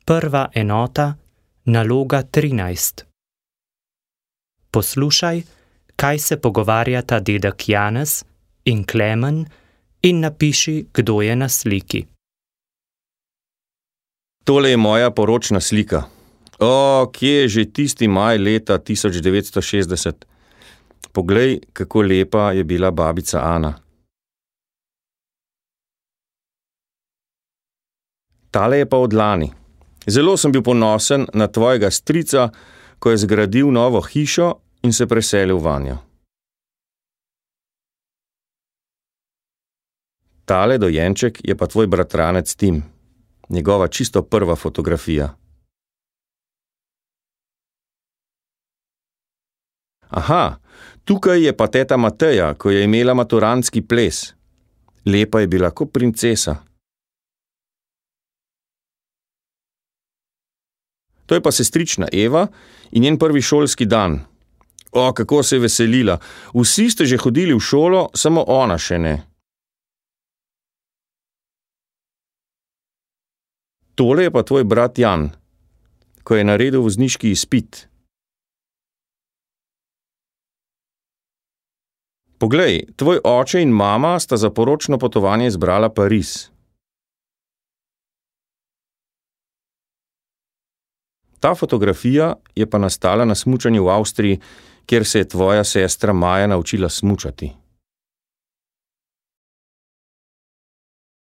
Prva enota, naloga 13. Poslušaj, kaj se pogovarjata dedek Janez in Klemen in napiši, kdo je na sliki. Tole je moja poročna slika. Kje je že tisti maj leta 1960? Poglej, kako lepa je bila babica Ana. Tale je pa od lani. Zelo sem bil ponosen na tvojega strica, ko je zgradil novo hišo in se preselil vanjo. Tale dojenček je pa tvoj bratranec Tim. Njegova čisto prva fotografija. Aha, tukaj je pa teta Mateja, ko je imela maturantski ples. Lepa je bila kot princesa. To je pa sestrična Eva in njen prvi šolski dan. Kako se je veselila. Vsi ste že hodili v šolo, samo ona še ne. Tole je pa tvoj brat Jan, ko je naredil vozniški izpit. Poglej, tvoj oče in mama sta za poročno potovanje izbrala Pariz. Ta fotografija je pa nastala na smučanju v Avstriji, kjer se je tvoja sestra Maja naučila smučati.